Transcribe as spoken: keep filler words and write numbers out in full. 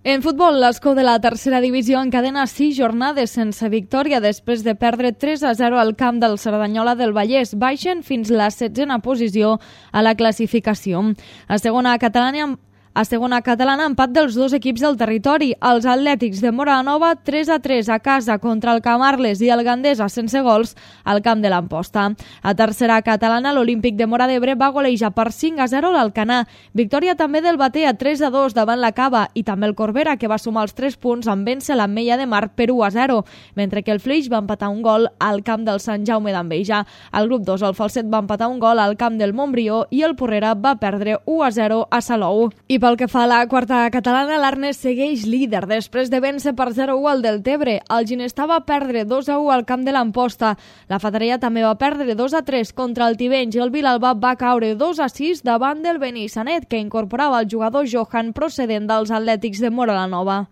En futbol, l'Escó de la tercera divisió encadena sis jornades sense victòria després de perdre tres a zero al camp del Cerdanyola del Vallès. Baixen fins la setzena posició a la classificació. A segona catalana, A segona catalana, empat dels dos equips del territori. Els Atlètics de Móra la Nova, tres a tres a casa contra el Camarles i el Gandesa sense gols al camp de l'Amposta. A tercera catalana, l'Olímpic de Móra d'Ebre va golejar per cinc a zero l'Alcanar. Victòria també del Batea, tres a dos davant la Cava, i també el Corbera, que va sumar els tres punts en vèncer l'Ametlla de Mar per u a zero, mentre que el Flix va empatar un gol al camp del Sant Jaume d'Enveja. Al grup dos, el Falset va empatar un gol al camp del Montbrió i el Porrera va perdre u a zero a Salou. I pel que fa a la quarta catalana, l'Arnes segueix líder després de vèncer per zero a u al Deltebre. El Ginestar va perdre dos a u al camp de l'Amposta. La Fatarella també va perdre dos a tres contra el Tivenys i el Vilalba va caure dos a sis davant del Benissanet, que incorporava el jugador Johan procedent dels Atlètics de Móra la Nova.